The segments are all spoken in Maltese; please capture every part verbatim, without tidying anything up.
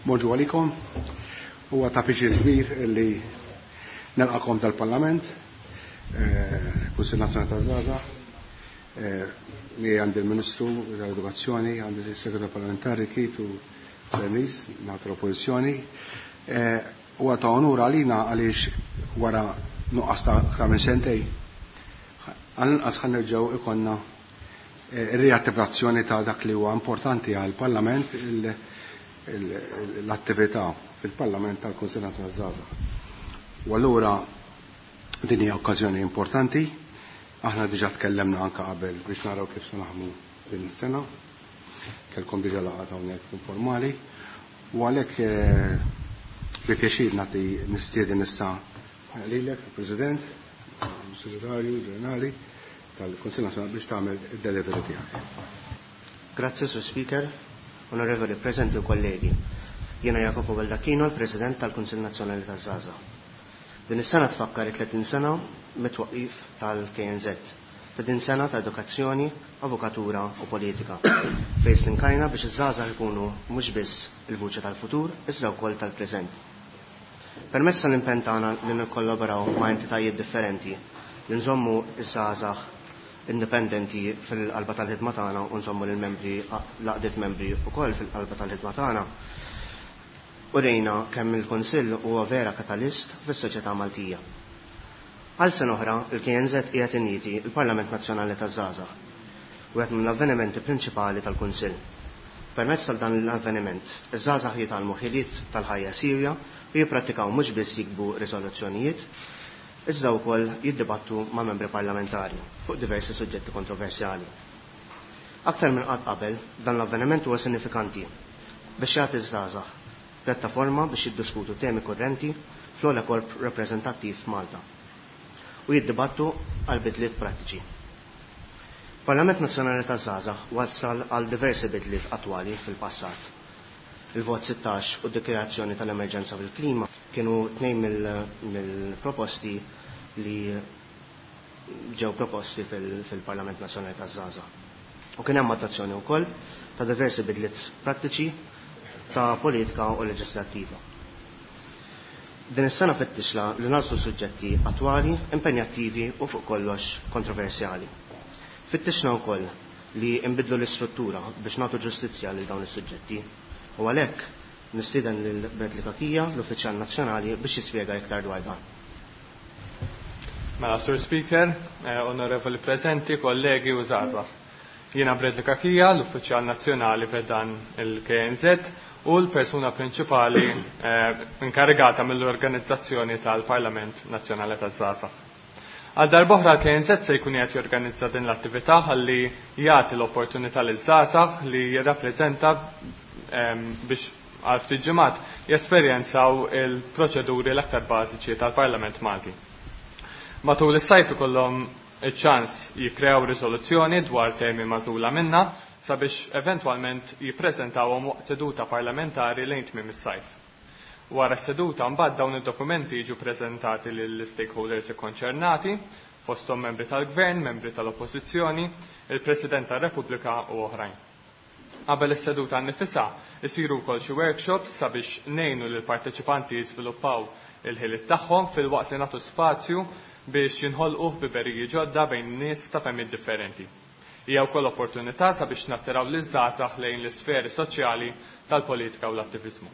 Bonġu għalikom. Huwa ta' pjaċir kbir li nilqakom tal-Parlament, Kunsill Nazzjonali taż-Żgħażagħ, li għandi l-Ministru tal-Edukazzjoni, għandi s-Segretarju Parlamentari Kit u Bernice, nagħtu l-Oppożizzjoni. Huwa ta' onur għalina għaliex wara nuqqas ta' aktar minn sentej, għall-inqas ħa nerġgħu ikollna ir-riattivazzjoni ta' dak li huwa importanti għall-Parlament, l-attività fil-Parlament tal-Kunsill Nazzjonali taż-Żgħażagħ. U allura din hija okkażjoni importanti. Aħna diġà tkellemna anke qabel biex naraw kif se naħdmu din is-sena. Kellkom diġà laqgħa hawnhekk informali. U għalhekk bi pjaċir nagħti nistieden issa lilek, il-President, il-Segretarju Ġenerali tal-Kunsill Nazzjonali biex tagħmel id-delivery tiegħek. Grazzi, Sur Speaker, onorevoli presenti u kollegi. Jiena Jacopo Baldacchino, il-President tal-Kunsill Nazzjonali taż-Żgħażagħ. Din is-sena tfakkar it-tletin sena mit-twaqif tal-K N Z. Ta' din sena ta' edukazzjoni, avukatura u politika, fejn stinkajna biex iż-żgħażagħ ikunu mhux biss il-vuċi tal-futur, iżda wkoll tal-preżent. Permezz tal-impenn tagħna li nikkollaboraw ma' entitajiet differenti, li nżommu iż-żgħażagħ indipendenti fil-qalba tal-ħidma tagħna u nżommu lill-membri, l-għaqdiet membri wkoll fil-qalba tal-ħidma tagħna, urejna kemm il-Kunsill huwa vera katalist fis-soċjetà Maltija. Għal sena oħra, il-K N Z qiegħed iniedi il-Parlament Nazzjonali taż-Żgħażagħ, wieħed mill-avvenimenti prinċipali tal-Kunsill. Permezz tal dan l-avveniment, iż-żgħażagħ jitgħallmu ħiliet tal-ħajja sirja u jipprattikaw mhux biss jiktbu riżoluzzjonijiet, iżda wkoll jiddibattu ma' membri parlamentari fuq diversi suġġetti kontroversjali. Aktar minn qatt qabel, dan l-avveniment huwa sinifikanti biex jagħti ż-żgħażagħ pjattaforma biex jiddiskutu temi kurrenti fl-ogħla korp rappreżentattiv f'Malta u jiddibattu għal bidliet prattiċi. Parlament Nazzjonali taż-Żgħażagħ wassal għal diversi bidliet attwali fil-passat. Il-vot sittax u d-dikjarazzjoni tal-emerġenza fil-klima kienu tnejn mill-proposti li ġew proposti fil-Parlament Nazzjonali taż-Żgħażagħ. U kien hemm adozzjoni wkoll ta' diversi bidliet prattiċi ta' politika u leġislattiva. Din is-sena fittixna li nagħżlu suġġetti attwali, impenjattivi u fuq kollox kontroversjali. Fittixna wkoll li nbidlu l-istruttura biex nagħtu ġustizzja lil dawn is-suġġetti. U għalhekk nistieden lil Bradley Cachia, l-Uffiċjal Nazzjonali, biex jispjega iktar dwar dan. Mela, Sur Speaker, eh, onorevoli presenti, kollegi u żgħażagħ. Jiena Bradley Cachia, l-Uffiċjal Nazzjonali fi ħdan il-K N Z u l-persuna prinċipali eh, inkarigata mill-organizzazzjoni tal-Parlament Nazzjonali taż-Żgħażagħ. Għal darb'oħra l-K N Z se jkun qed jorganizza din l-attività ħalli jagħti l-opportunità liż-żgħażagħ li jirrappreżenta ehm, biex għal ftit ġimgħat jesperjenzaw il-proċeduri l-aktar bażiċi tal-Parlament Malti. Matul is-sajf ikollhom iċ-ċans jikkreaw riżoluzzjoni dwar temi magħżula minna sabiex eventwalment jippreżentawhom waqt seduta parlamentari lejn tmiem is-sajf. Wara s-seduta mbagħad dawn id-dokumenti jiġu preżentati lill-stakeholders ikkonċernati, fosthom membri tal-Gvern, membri tal-Oppożizzjoni, il-President tar-Repubblika u oħrajn. Qabel is-seduta nnifisha isiru wkoll xi workshops sabiex ngħinu lil parteċipanti jiżviluppaw il-ħiliet tagħhom filwaqt li nagħtu spazju biex jinħolqu ħbiberiji ġodda bejn nies ta' fehmiet differenti. Hija wkoll opportunità sabiex nattiraw liż-żgħażagħ lejn l-isferi soċjali tal-politika u l-attiviżmu.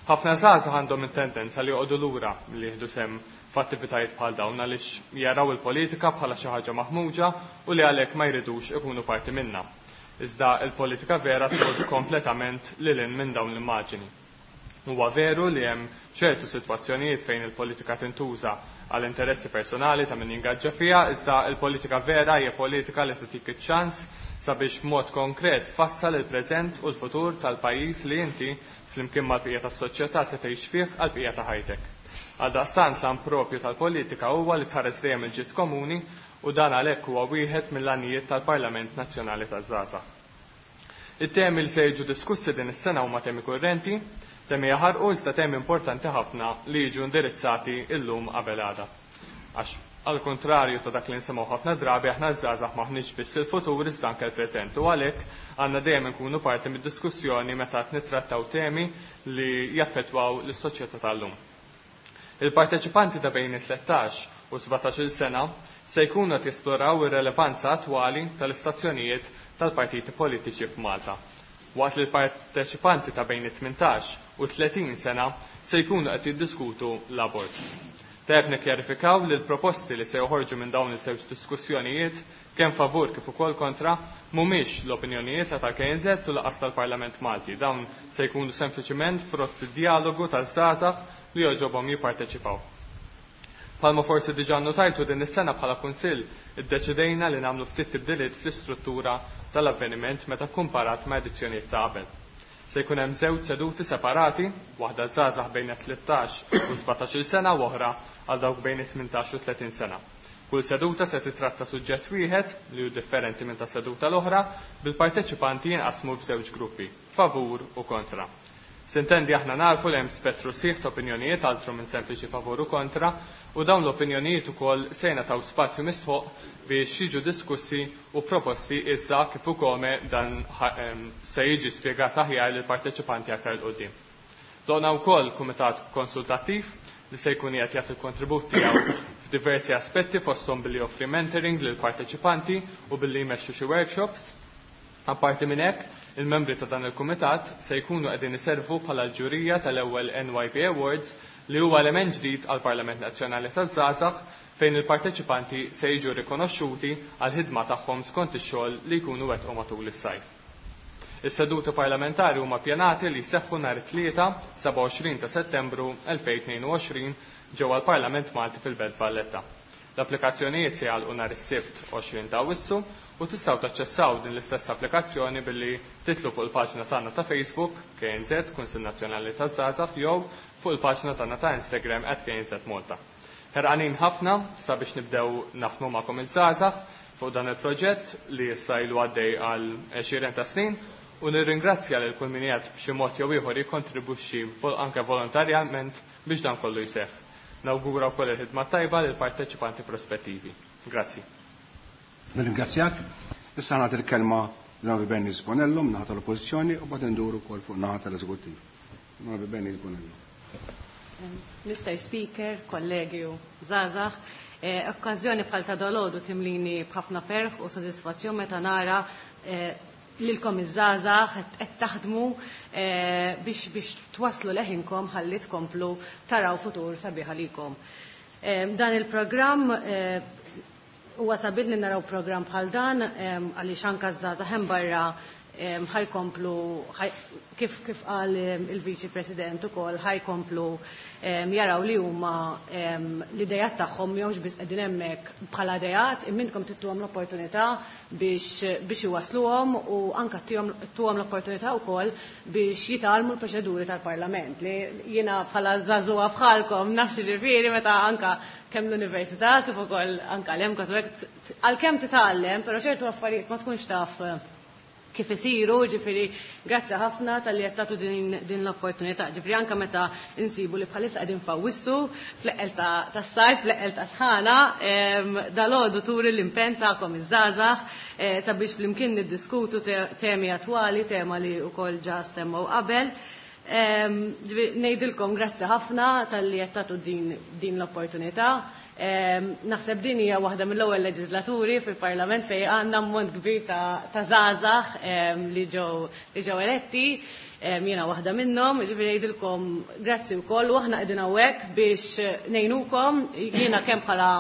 Ħafna żgħażagħ għandhom it-tendenza li joqogħdu lura li jieħdu sehem f'attivitajiet bħal dawn għaliex jaraw il-politika bħala xi ħaġa maħmuġa u li għalhekk ma jridux ikunu parti minnha. Iżda il-politika vera tmur kompletament lil hinn minn dawn l-immaġini. Huwa veru li hemm ċertu sitwazzjonijiet fejn il-politika tintuża għal interessi personali ta' min jingaġġa fiha, iżda il-politika vera hija politika li tagħtik iċ-ċans sabiex b'mod konkret tfassal il-preżent u l-futur tal-pajjiż li inti flimkien mal-bqija tas-soċjetà se tgħix fih għall-bqija ta' ħajtek. Għaldaqstant l propju tal-politika huwa li tħares dejjem il-ġid komuni u dan għalhekk huwa wieħed mill-għanijiet tal-Parlament Nazzjonali taż-Żgħażagħ. It-temi li se jiġu diskussi din is-sena huma temi kurrenti, temi jaħarqu iżda temi importanti ħafna li jiġu indirizzati illum qabel għada. Għax Għal kontrarju ta' dak li nsemgħu ħafna drabi, aħna żgħażagħ m'aħniex biss il-futur iżda anke l-preżent, u għalhekk għandna dejjem inkunu parti mid-diskussjoni meta qed nittrattaw temi li jaffettwaw lis-soċjetà tal-lum. Il-parteċipanti ta' bejn it-tlettax u sbatax-il sena se jkunu qed jesploraw ir-relevanza attwali tal-istazzjonijiet tal-partiti politiċi f'Malta, waqt li l-parteċipanti ta' bejn it-tmintax u tletin sena se jkunu qed jiddiskutu l-abort. Tajjeb nikkjarifikaw li l-proposti li se joħorġu minn dawn iż-żewġ diskussjonijiet, kemm favur kif ukoll kontra, mhumiex l-opinjonijiet la tal-K N Z u lanqas tal-Parlament Malti. Dawn se jkunu sempliċiment frott id-dialogu taż-żgħażagħ li jogħġobhom jipparteċipaw. Bħalma forsi diġà notajtu, din is-sena bħala Kunsill iddeċidejna li nagħmlu ftit tibdiliet fl-istruttura tal-avveniment meta kkumparat ma' edizzjonijiet ta' qabel. Se jkun hemm żewġ seduti separati, waħda żgħażagħ bejn tlettax u sbatax-il sena u oħra għal dawk bejn it-tmintax u tletin sena. Kull seduta se titratta suġġett wieħed li hu differenti minn ta' seduta l-oħra, bil-parteċipanti jinqasmu f'żewġ gruppi, favur u kontra. Sintendi, aħna narfu li hemm spettru sħiħ ta' opinjonijiet altru minn sempliċi favur u kontra, u dawn l-opinjonijiet ukoll se jingħataw spazju mistħoq biex jiġu diskussi u proposti, issa kif ukoll dan se jiġi spjegat aħjar lill parteċipanti aktar 'il quddiem. Ħloqna wkoll kumitat konsultattiv li se jkun qiegħed jagħti l-kontribut tiegħu f'diversi aspetti, fosthom billi joffri mentoring lil parteċipanti u billi jmexxu xi workshops. Apparti minn hekk, il-membri ta' dan il-kumitat se jkunu qegħdin iservu bħala l-ġurija tal-ewwel N Y P Awards, li huwa element ġdid għal Parlament Nazzjonali taż-Żgħażagħ, fejn il-parteċipanti se jiġu rikonoxxuti għal ħidma tagħhom skont ix-xogħol li jkunu wettqu matul is-sajf. Is-seduti parlamentari huma pjanati li jseħħu nhar it-Tlieta sebgħa u għoxrin ta' Settembru elfejn u tnejn u għoxrin ġewwa l-Parlament Malti fil-Belt Valletta. L-applikazzjonijiet se jagħlqu nhar is-Sibt għoxrin ta' Awwissu u tistgħu taċċessaw din l-istess applikazzjoni billi titilgħu fuq il-paġna tagħna ta' Facebook, K N Z, Kunsill Nazzjonali taż-Żgħażagħ, jew fuq il-paġna tagħna ta' Instagram at K N Z Malta. Ħerqanin ħafna sabiex nibdew naħdmu magħkom iż-żgħażagħ fuq dan il-proġett li issa ilu għaddej għal għexieren ta' snin u nirringrazzja lil kull min qiegħed b'xi mod jew ieħor jikkontribwixxi anke volontarjament biex dan kollu jseħħ. Nawgura wkoll il-ħidma tajba lil parteċipanti prospettivi. Grazzi. Nirringrazzjak. Issa nagħti l-kelma l-Onorevoli Bernice Bonello min-naħa tal-Oppożizzjoni u bagħad nduru wkoll fuq naħa tal-Eżekuttiv. Onorevoli Bernice Bonello. Mister Speaker, kollegi u żgħażagħ, eh, okkażjoni bħal ta' dalgħodu timlini b'ħafna ferħ u sodisfazzjon meta nara eh, lilkom iż-żgħażagħ qed taħdmu eh, biex biex twaslu leħinkom ħalli tkomplu taraw futur sabiħ għalikom. Dan il-programm, huwa sabiħ li naraw programm bħal dan għaliex anke żgħażagħ hemm barra ħa jkomplu, kif kif qal il-Viċi President ukoll, ħa jkomplu jaraw li huma l-idejat tagħhom mhumiex biss qegħdin hemmhekk bħala idejat, imma intkom ttuhom l-opportunità biex biex iwasluhom u anke ttuhom l-opportunità wkoll biex jitgħallmu l-proċeduri tal-Parlament, li jiena bħala żagħżugħa bħalkom naf ġifieri meta anka kemm l-università kif ukoll anka l-hemm għalkemm titgħallem, però ċertu affarijiet ma tkunx taf kif isiru, ġifieri grazzi ħafna talli qed tagħtu din, din l-opportunità. Ġifieri anke meta insibu li bħalissa qegħdin f'Awwissu, fl-eqqel tas-sajf, fl-eqqel ta' sħana, dalgħodu turi l-impenn tagħkom iż-żgħażagħ eh, sabiex flimkien niddiskutu temi attwali, tema li wkoll ġa semmew qabel. Ngħidilkom grazzi ħafna talli qed tagħtu din, din l-opportunità. Naħseb din hija waħda mill-ewwel leġislaturi fil-Parlament fejn għandna ammont kbir ta' żgħażagħ li ġew li ġew eletti. Jiena waħda minnhom, ġifieri ngħidilkom grazzi wkoll u aħna qegħdin hawnhekk biex ngħinukom, jiena kemm bħala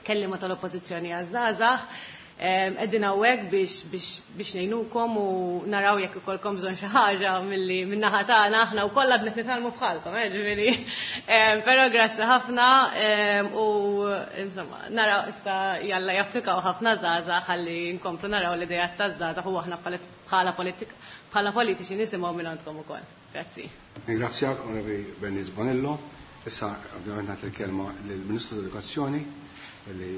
kellima tal-Oppożizzjoni għaż-żgħażagħ, qegħdin hawnhekk biex biex biex ngħinukom u naraw jekk ikollkom bżonn xi ħaġa milli min-naħa tagħna. Aħna wkoll għadna nitgħallmu bħalkom, eh, ġifieri. Però grazzi ħafna u insomma naraw issa jalla japplikaw ħafna żgħażagħ ħalli nkomplu naraw l-idejat taż-żgħażagħ u aħna bħala bħala politiċi nisimgħu minn għandkom ukoll. Grazzi. Ringrazzjak, Onorevoli Bernice Bonello. Issa ovvjament nagħti l-kelma lill-Ministru tal-Edukazzjoni, li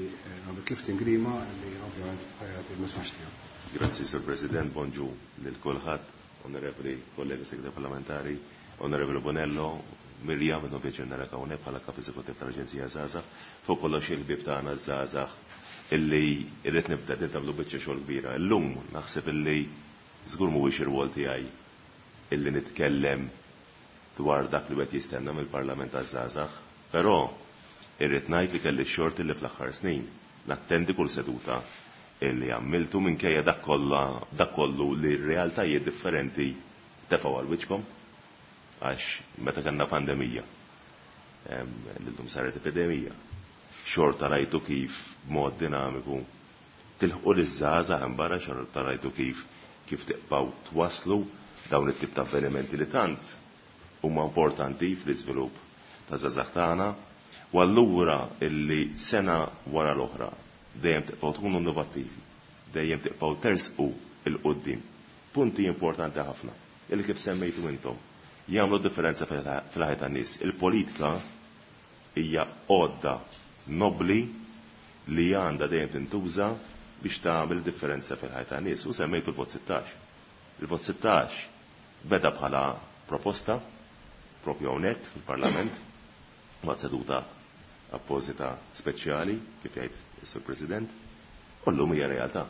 Robert Clifton Grima, li ovvjament ħa jagħti il-messaġġ tiegħu. Grazzi, Sir President, bonġu lil kulħadd, onorevoli kollegi segretari parlamentari, onorevoli Bonello, Mirjam, intom pjaċir narak hawnhekk bħala kap eżekuttiv tal-Aġenzija Żgħażagħ, fuq kollox il-ħbieb tagħna żgħażagħ illi irrid nibda din tagħmlu biċċa xogħol kbira. Illum naħseb illi żgur mhuwiex ir-rwol tiegħi illi nitkellem dwar dak li qed jistenna mill-Parlament taż-żgħażagħ, però irrid ngħid li kelli x-xorti li fl-aħħar snin nattendi kull seduta illi għamiltu minkejja dak kollha dak kollu li r-realtajiet differenti tefgħu għal wiċċkom, għax meta kellna pandemija, l-lum saret epidemija, xorta rajtu kif b'mod dinamiku tilħqu liż-żgħażagħ hemm barra, xorta rajtu kif kif tibqgħu twaslu dawn it-tip ta' avvenimenti li tant huma importanti fl-iżvilupp ta' żgħażagħ tagħna. U allura illi sena wara l-oħra dejjem tibqgħu tkunu innovattivi, dejjem tibqgħu tersqu il quddiem. Punti importanti ħafna illi kif semmejtu intom jagħmlu differenza fil-ħajja tan-nies. Il-politika hija għodda nobli li għandha dejjem tintuża biex tagħmel differenza fil-ħajja tan-nies. U semmejtu l-vot sittax. Il-vot sittax beda bħala proposta propju hawnhekk fil-Parlament waqt seduta apposita speċjali kif jgħid is-Sur President, u llum hija realtà.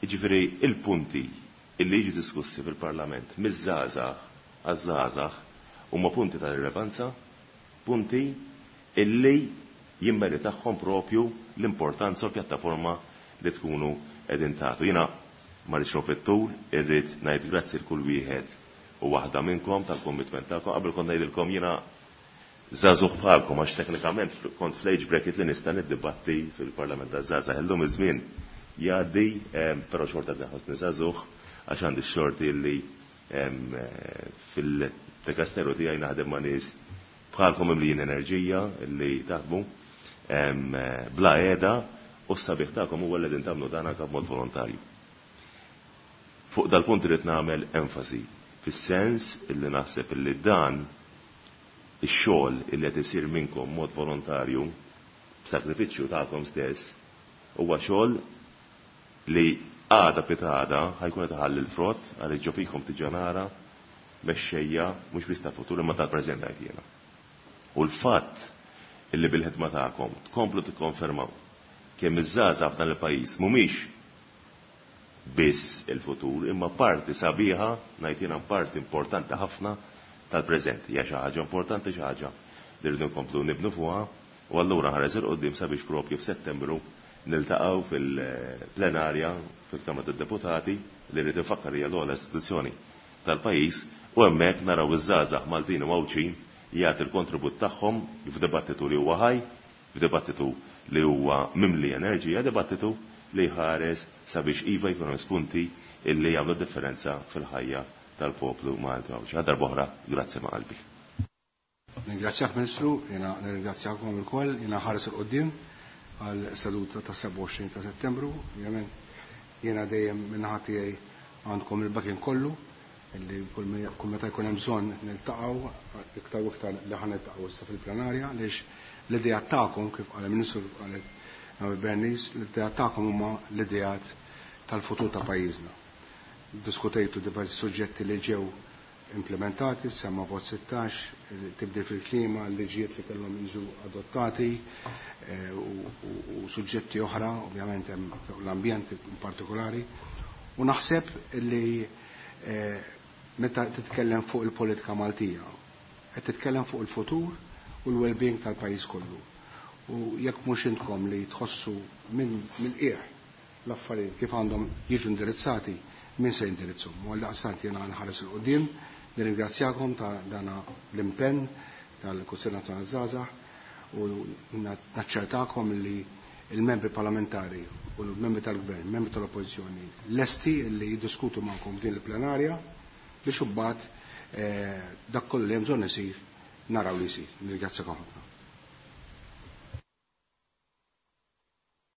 Jiġifieri il-punti illi jiġu diskussi fil-Parlament miż-żgħażagħ għaż-żgħażagħ huma punti ta' rilevanza, punti illi jimmeritahom propju l-importanza u l-pjattaforma li tkunu qegħdin tagħtu. Jiena ma rridx fit-tul, irrid ngħid grazzi l kull wieħed u waħda minnkom tal-commitment tagħkom. Qabel kont ngħidilkom jiena żagħżugħ bħalkom għax teknikament kont fl-age bracket li nista' niddibatti fil-Parlament taż-żgħażagħ. Illum iż-żmien jgħaddi, però xorta nħossni żagħżugħ għax għandi x-xorti li fil-dikasteru tiegħi naħdem ma' nies bħalkom imlijin enerġija li taħdmu bla qiegħda, u s-sabiħ tagħkom huwa li qegħdin tagħmlu dan anke b'mod volontarju. Fuq dal-punt irid nagħmel enfasi fis-sens illi naħseb illi dan ix-xogħol illi qed isir minnkom mod volontarju b'sakrifiċċju tagħkom stess huwa xogħol li għada pitgħada ħajkun qed iħalli l-frott għaliex ġo fikom diġà nara mexxejja mhux biss ta' futur imma tal-preżent ngħid jiena. U l-fatt illi bil-ħidma tagħkom tkomplu tikkonfermaw kemm iż-żgħażagħ f'dan il-pajjiż mhumiex biss il-futur imma parti sabiħa, ngħid jiena parti importanti ħafna tal-preżent. Hija xi ħaġa importanti, xi ħaġa li rridu nkomplu nibnu fuqha, u allura ħares il quddiem sabiex propju f'Settembru niltaqgħu fil-plenarja fil-Kamra tad-Deputati li rrid infakkar hija l-ogħla istituzzjoni tal-pajjiż, u hemmhekk naraw iż-żgħażagħ Maltin u Għawdxin jagħti l-kontribut tagħhom f'dibattitu li huwa ħaj, f'dibattitu li huwa mimli enerġija, dibattitu li jħares sabiex iva jkunu spunti illi jagħmlu differenza fil-ħajja tal-poplu Malti Għawdxi. Għal darb'oħra, grazzi ma' qalbi. Ningrazzjak Ministru, jiena nirringrazzjakom ilkoll, jiena ħares il quddiem għal seduta ta' sebgħa u għoxrin ta' Settembru. Ovvjament jiena dejjem min-naħa tiegħi għandkom il-bakin kollu illi kull meta jkun hemm bżonn niltaqgħu iktar u iktar li ħa niltaqgħu issa fil-plenarja, għaliex l-idea tagħkom kif qal il-Ministru, kif qalet Bernice, l-idea tagħkom huma l-ideat tal-futur ta' pajjiżna. Diskutejtu diversi suġġetti li ġew implementati, semma vot sittax, tibdil fil-klima, liġijiet li kellhom jiġu adottati, u suġġetti oħra, ovvjament hemm l-ambjent in partikolari. U naħseb li meta titkellem fuq il-politika Maltija, qed titkellem fuq il-futur u l-well-being tal-pajjiż kollu. U jekk mhux intkom li tħossu minn qiegħ l-affarijiet kif għandhom jiġu indirizzati, min se jindirizzhom. U għaldaqstant jiena nħares il quddiem, nirringrazzjakom ta' dana l-impenn tal-Kunsill Nazzjonali Żgħażagħ u naċċertakom li il-membri parlamentari u l-membri tal-gvern, membri tal-oppożizzjoni lesti li jiddiskutu magħkom din il-plenarja biex imbagħad dak kollu li hemm bżonn isir naraw li jsir. Nirringrazzjakom ħafna.